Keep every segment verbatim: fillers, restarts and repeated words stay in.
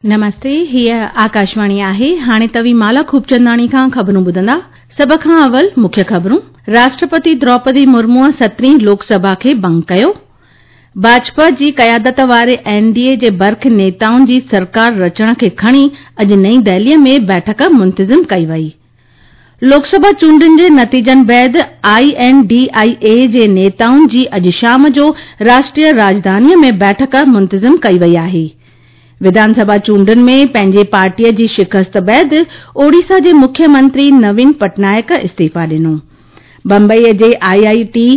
नमस्ते, हीअ आकाशवाणी आहे। हाणे तव्हीं माला खूबचंदाणी खां ख़बरूं ॿुधंदा। सभ खां अवल मुख्य ख़बरूं। राष्ट्रपति द्रौपदी मुर्मूअ सतरहीं लोकसभा खे भंग कयो। भाजपा जी क़यादत वारे एनडीए जे बर्ख नेताउनि जी सरकार रचण खे खणी अॼु नई दिल्लीअ में बैठक मुंतज़िम कई वई। लोकसभा चूंडुनि जे नतीजनि बाद I N D I ए जे नेताउनि जी अॼु शाम जो राष्ट्रीय राजधानीअ में बैठक मुंतज़िम कई वई आहे। विधानसभा चूंडुनि में पंहिंजी पार्टीअ जी शिकस्त बाद ओडिशा जे मुख्यमंत्री नवीन पटनायक इस्तीफ़ा ॾिनो। बंबईअ जे आईआईटी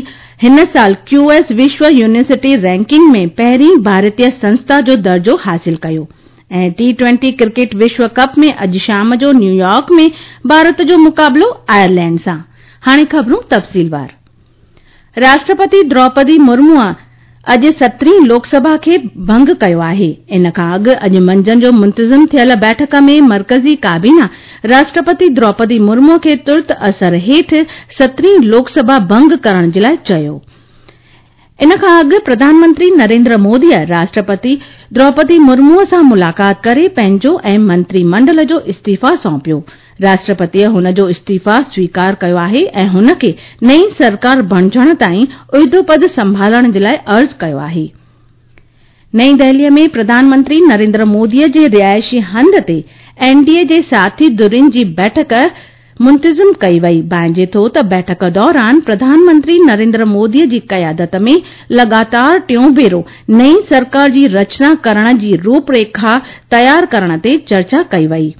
हिन साल क्यूएस विश्व यूनिवर्सिटी रैंकिंग में पहिरीं भारतीय संस्था जो दर्जो हासिल कयो। ऐं टी ट्वेंटी क्रिकेट विश्व कप में अॼु शाम जो न्यूयॉर्क में भारत जो मुक़ाबिलो आयरलैंड सां। हाणे ख़बरूं तफ़सीलवार। राष्ट्रपति द्रौपदी मुर्मूअ अॼु सतरहीं लोकसभा खे भंग कयो आहे। इन खां अॻु अॼु मंझंदि जो मुंतज़िम थियल बैठक में मर्कज़ी काबीना राष्ट्रपति द्रौपदी मुर्मू खे तुर्त असर हेठि सतरहीं लोकसभा भंग करण जे लाइ चयो। इन खां अॻु प्रधानमंत्री नरेंद्र मोदीअ राष्ट्रपति द्रौपदी मुर्मूअ सां मुलाक़ात करे पंहिंजो ऐं मंत्रीमंडल जो इस्तीफ़ा सौंपियो। राष्ट्रपतीअ हुन जो इस्तीफ़ा स्वीकार कयो आहे ऐं हुन खे नई सरकार बणिजण ताईं उहिदो पद संभालण जे लाइ अर्ज़ कयो आहे। नई दिल्लीअ में प्रधानमंत्री नरेंद्र मोदीअ जे रिहाइशी हंधि ते एनडीए जे साथी धुरियुनि जी बैठक मुंतज़िम कई वई। भांइजे थो त बैठक दौरान प्रधानमंत्री नरेंद्र मोदीअ जी क़यादत में लगातार टियों भेरो नई सरकार जी रचना करण जी रूपरेखा तयार करण ते चर्चा कई वई।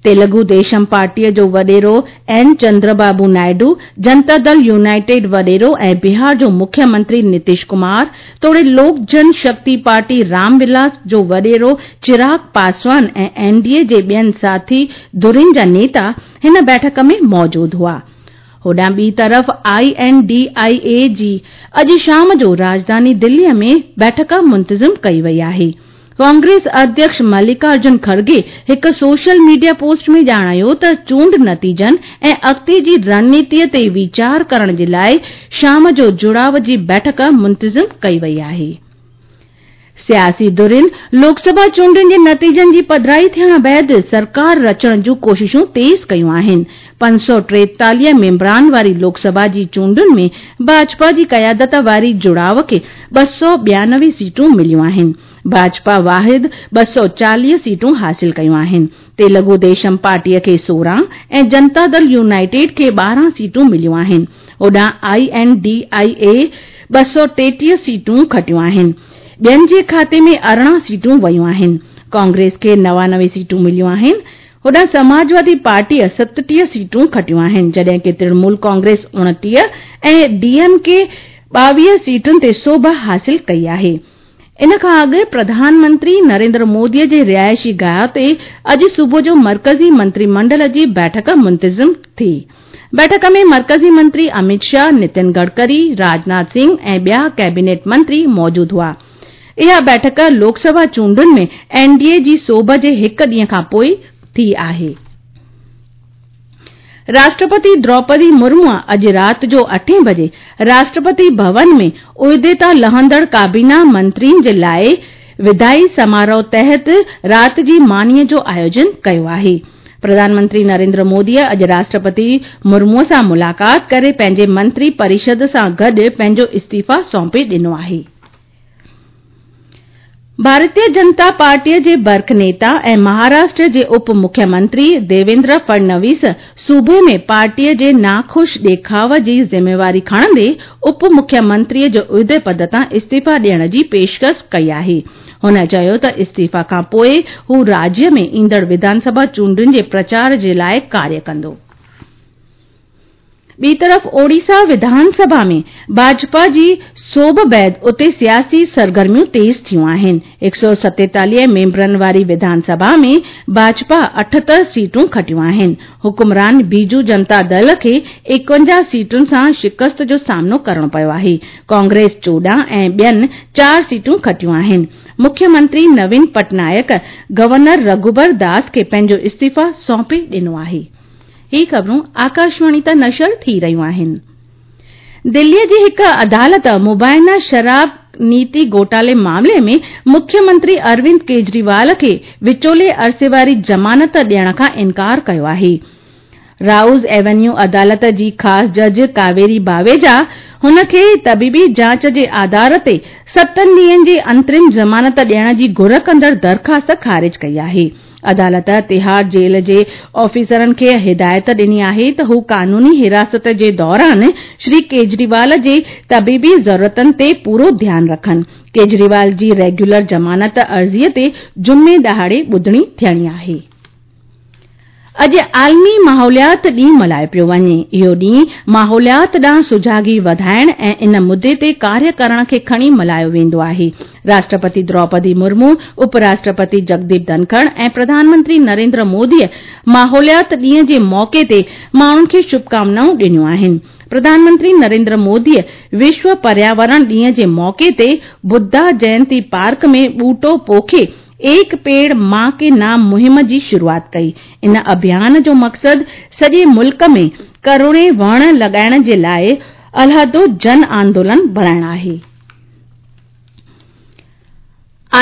तेलुगु देशम पार्टीअ जो वॾेरो एन चंद्रबाबू नायडू, जनता दल यूनाइटेड वॾेरो ऐं बिहार जो मुख्यमंत्री नीतीश कुमार तोड़े लोक जन शक्ति पार्टी रामविलास जो वॾेरो चिराग पासवान ऐं एनडीए जे ॿियनि साथी धुरियुनि जा नेता हिन बैठक में मौजूद हुआ। होॾां ॿी तरफ़ I N D I ए जी अॼु शाम जो राजधानी दिल्लीअ में बैठक मुंतज़िम कई वई आहे। कांग्रेस अध्यक्ष मल्लिकार्जुन खड़गे हिकु सोशल मीडिया पोस्ट में ॼाणायो त चूंड नतीजनि ऐं अॻिते जी रणनीतीअ ते वीचार करण जे लाइ शाम जो जुड़ाव जी बैठक मुंतज़िम कई वई आहे। सियासी धुरियुनि लोकसभा चूंडुनि जे नतीजनि जी पधराई थियण बाद सरकार रचण जूं कोशिशूं तेज़ कयूं आहिनि। पंज सौ टेतालीह मेंबरान वारी लोकसभा जी चूंडुनि में भाजपा जी क़यादत वारी जुड़ाव खे ॿ सौ ॿियानवे सीटूं मिलियूं आहिनि। भाजपा वाहिद ॿ सौ चालीह सीटूं हासिल कयूं आहिनि। तेलुगु देशम पार्टीअ खे सोरहं ऐं जनता दल यूनाइटेड खे ॿारहं सीटूं मिलियूं आहिनि। होॾां I N D I ए ॿ सौ टेटीह सीटूं खटियूं आहिनि। ॿियनि जे खाते में अरिड़हं सीटूं वयूं आहिनि। कांग्रेस खे नवानवे सीटूं मिलियूं आहिनि। होॾां समाजवादी पार्टीअ सतटीह सीटूं खटियूं आहिनि, जॾहिं की तृणमूल कांग्रेस उणटीह ऐं डीएमके ॿावीह सीटुनि ते सोभ हासिल कई आहे। इन खां अॻु प्रधानमंत्री नरेंद्र मोदीअ जे रिहाइशी गाह ते अॼु सुबुह जो मर्कज़ी मंत्रीमंडल जी बैठक मुंतज़िम थी। बैठक में मर्कज़ी मंत्री अमित शाह, नितिन गडकरी, राजनाथ सिंह ऐं ॿिया कैबिनेट मंत्री मौजूद हुआ। इहा बैठक लोकसभा चूंडुनि में एनडीए जी सोभ जे हिकु ॾींहं खां पोइ थी आहे। राष्ट्रपति द्रौपदी मुर्मूअ अॼु राति जो अठें बजे राष्ट्रपति भवन में उहिदे तां लहंदड़ काबीना मंत्रियुनि जे लाइ विदाई समारोह तहत राति जी मानीअ जो आयोजन कयो आहे। प्रधानमंत्री नरेंद्र मोदीअ अॼु राष्ट्रपति मुर्मूअ सां मुलाक़ात करे पंहिंजे मंत्री परिषद सां गॾु पंहिंजो इस्तीफ़ा सौंपे ॾिनो आहे। भारतीय जनता पार्टीअ जे बर्ख नेता ऐं महाराष्ट्र जे उप मुख्यमंत्री देवेंद्र फडणवीस सूबे में पार्टीअ जे नाख़ुश ॾेखाव जी ज़िम्मेवारी खणंदे उप मुख्यमंत्रीअ जो उहिदे पद तां इस्तीफ़ा ॾियण जी पेशकश कई आहे। हुन चयो त इस्तीफ़ा खां पोइ हू राज्य में ईंदड़ विधानसभा चूंडुनि जे प्रचार जे लाइ कार्य कंदो। ॿी तरफ़ ओडिशा विधानसभा में भाजपा जी सोभ बाद उते सियासी सरगर्मियूं तेज़ थियूं आहिनि। हिकु सौ सतेतालीह मेंबरनि वारी विधानसभा में भाजपा अठहतरि सीटूं खटियूं आहिनि। हुकुमरान बीजू जनता दल खे एकवंजाह सीटुनि सां शिकस्त जो सामनो करणो पियो आहे। कांग्रेस चोॾहं ऐं ॿियनि चारि सीटूं खटियूं आहिनि। मुख्यमंत्री नवीन पटनायक गवर्नर रघुबर दास खे पंहिंजो इस्तीफ़ा सौंपे ॾिनो आहे। ही ख़बरूं आकाशवाणी तां नशर थी रहियूं आहिनि। दिल्लीअ जी हिकु अदालत मुबाइना शराब نيتي گهوٽالي معاملي ۾ مکيه منتري اروند ڪيجريوال کي وچولي عرصي واري ضمانت ڏيڻ کان انڪار ڪيو آهي. رائوز ايونيو عدالت جي خاص جج ڪاويري باويجا هن کي طبيبي جاچ جي آڌار تي ستن ڏينهن جي انترم ضمانت ڏيڻ جي گهر ڪندڙ درخواست خارج ڪئي آهي. عدالت تهاڙ جيل جي آفيسرن کي هدايت ڏني آهي ته هو قانوني حراست جي دوران شري ڪيجريوال جي طبيبي ضرورتن تي پورو ڌيان رکن. ڪيجريوال جي ريگيولر ضمانت عرضي تي جمعي ڏهاڙي ٻڌڻي ٿيڻي آهي. اڄ عالمي ماحوليات ڏينهن ملهايو پيو وڃي. اهو ڏينهن ماحوليات ڏانهن سجاڳي وڌائڻ ۽ ان مدعي تي ڪاريه ڪرڻ کي کڻي ملهايو ويندو آهي. راشٽرپتي دروپدي مرمو، اپ راشٽرپتي جگديپ ڌنکڙ ۽ پرڌان منتري نريندر مودي ماحوليات ڏينهن جي موقعي تي ماڻهن کي شڀڪامنائون ڏنيون آهن. پرڌان منتري نريندر مودي وشو پرياورڻ ڏينهن جي موقعي تي ٻڌا جينتي پارڪ ۾ ٻوٽو پوکي ايڪ پيڙ مان ڪي نام مهم جي شروعات ڪئي. ان اڀيان جو مقصد سڄي ملڪ ۾ ڪروڙين وڻ لڳائڻ جي لاءِ علحدو جن آندولن بڻائڻ آهي.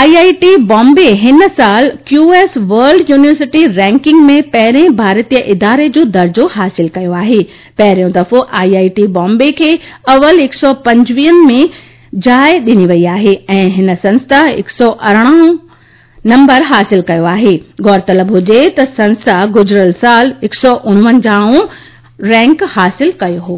آئي آئي ٽي بامبي هن سال Q S world university ranking ۾ پهرين ڀارتيه اداري جو درجو حاصل ڪيو آهي. پهريون دفعو آئي آئي ٽي بامبي کي اول هڪ سؤ پنجويهن ۾ جاءِ ڏني وئي آهي ۽ هن سنسٿا هڪ سؤ ارڙهن نمبر حاصل ڪيو آهي. غور طلب هجي ته سنسٿا گذريل سال هڪ سؤ اڻونجاهون رينڪ حاصل ڪيو هو.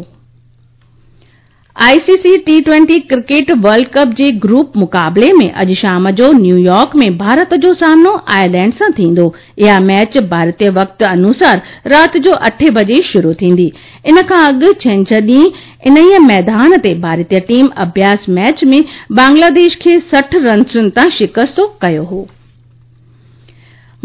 I C C T twenty cricket world cup جي گروپ مقابلي ۾ اڄ شام جو نيويارڪ ۾ ڀارت جو سامنو آئرلينڊ سان ٿيندو. اها ميچ ڀارتي وقت انوسار رات جو اٺين بجي شروع ٿيندي. ان کان اڳ ڇنڇر ڏينهن انهيء ميدان تي ڀارتي ٽيم اڀياس ميچ ۾ بنگلاديش کي سٺ رنسن تان شڪست ڪيو هو.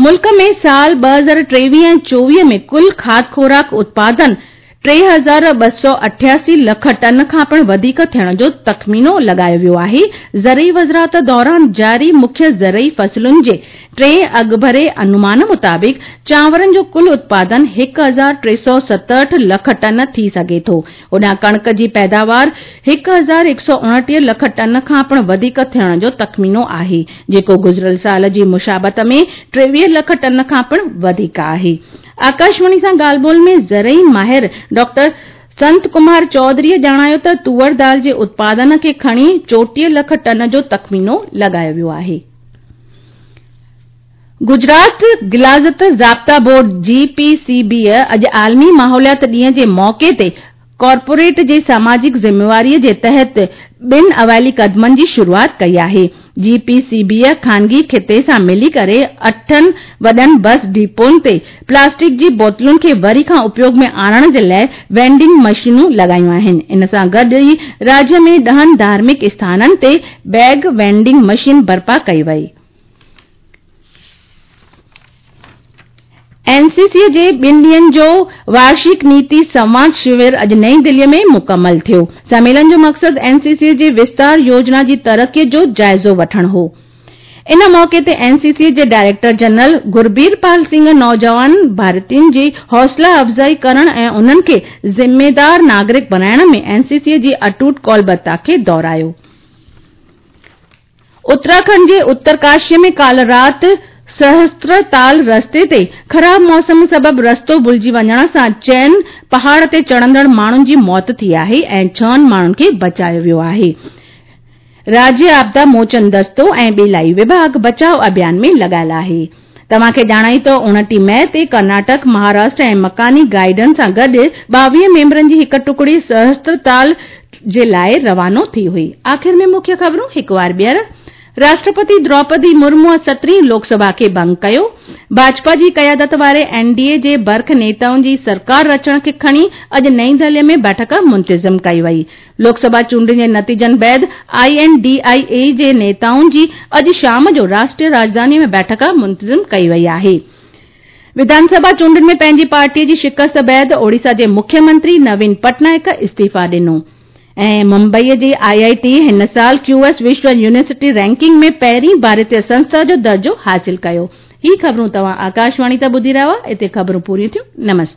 ملڪ ۾ سال ٻه هزار ٽيويهه ۽ چوويهه ۾ ڪل کاڌ خوراڪ اتپادن ٽي هزار ٻه سؤ اٺاسي لک ٽن کان پڻ وڌيڪ ٿيڻ جو تخمينو لڳايو ويو آهي. زرعي وزارت دوران جاري مکيه زرعي فصلن جي ٽئين اڳڀري انومان مطابق چانورن جو ڪل اتپادن هڪ هزار ٽي سؤ ستهٺ لک ٽن ٿي سگهي ٿو. هوڏانهن ڪڻڪ جي پيداوار هڪ هزار هڪ سؤ اڻٽيهه لک ٽن کان پڻ وڌيڪ ٿيڻ جو تخمينو آهي، جيڪو گذريل سال جي مشابهت ۾ ٽيويهه لک ٽن کان پڻ وڌيڪ آهي. آڪاشواڻي سان ڳالهه ٻولهه ۾ زرعي ماهر ڊاڪٽر سنت ڪمار چوڌري ڄاڻايو ته توئر دال جي اتپادن کي کڻي چوٽيهه لک ٽن جو تخمينو لڳايو ويو آهي. گجرات غلاظت ضابطا بورڊ جي پي سي بي اڄ عالمي ماحوليات ڏينهن جي موقعي تي ڪارپوريٽ جي ساماجڪ ذميواري جي تحت ٻن اوائلي قدمن جي شروعات ڪئي آهي. جي پي سي بي خانگي خطي سان ملي ڪري اٺن وڏن بس ڊپون تي پلاسٽڪ جي بوتلن کي وري کان اپيوگ ۾ آڻڻ جي لاءِ وينڊنگ مشينون لڳايون آهن. ان سان گڏ ئي راجيه ۾ ڏهن ڌارمڪ اسٿانن تي بيگ وينڊنگ مشين برپا ڪئي وئي. اين سي سي جي ٻن ڏينهن جو وارشڪ نيتي سنواد شور اڄ نئين دلي ۾ مڪمل ٿيو. سميلن جو مقصد اين سي سي جي وستار يوجنا جي ترقي جو جائزو وٺڻ هو. ان موقعي تي اين سي سي جي ڊائريڪٽر جنرل گربير پال سنگهه نوجوان ڀارتين جي حوصلا افزائي ڪرڻ ۽ انهن کي ذميدار ناگرڪ بڻائڻ ۾ اين سي سي جي اٽوٽ ڪولبتا کي دهرايو. اتراکنڊ جي اترڪاشي ۾ ڪالهه رات سهسترتال رستي تي خراب موسم سبب رستو ڀلجي وڃڻ سان چئن پهاڙ تي چڙهندڙ ماڻهن جي موت ٿي آهي ۽ ڇهن ماڻهن کي بچايو ويو آهي. راجيه آپدا موچن دستو ۽ ٻيلائي وڀاڳ بچاءُ اڀيان ۾ لڳايل آهي. توهان کي ڄاڻايون ته اڻٽيهه مئي تي ڪرناٽڪ، مهاراشٽر ۽ مڪاني گائيڊن سان گڏ ٻاويهه ميمبرن جي هڪ ٽڪڙي سهسترتال جي لاءِ روانو ٿي هئي. آخر ۾ مکيه خبرون هڪ وار ٻيهر. راشٽرپتي دروپدي مرمو سترهين لوڪ سڀا کي ڀنگ ڪيو. ڀاجپا جي قيادت واري اين ڊي اي جي برک نيتائن جي سرڪار رچڻ کي کڻي اڄ نئين دهلي ۾ بيٺڪ منتظم ڪئي وئي. لوڪ سڀا چونڊن جي نتيجن بعد I N D I اي جي نيتائن جي اڄ شام جو راشٽريه راڄڌاني ۾ بيٺڪ منتظم ڪئي وئي آهي. وڌان سڀا چونڊن ۾ پنهنجي پارٽي جي شڪست بعد اوڙيسا جي مکيه منتري نوين پٽنائڪ استعيفا ڏنو. ۽ ممبئي جي آئي آئي ٽي هن سال ڪيو ايس وشو يونيورسٽي رينڪنگ ۾ پهرين ڀارتيه سنسٿا جو درجو حاصل ڪيو. هي خبرون توهان آڪاشواڻي تان ٻڌي رهيا هئا. اتي خبرون پوريون ٿيون. نمستي.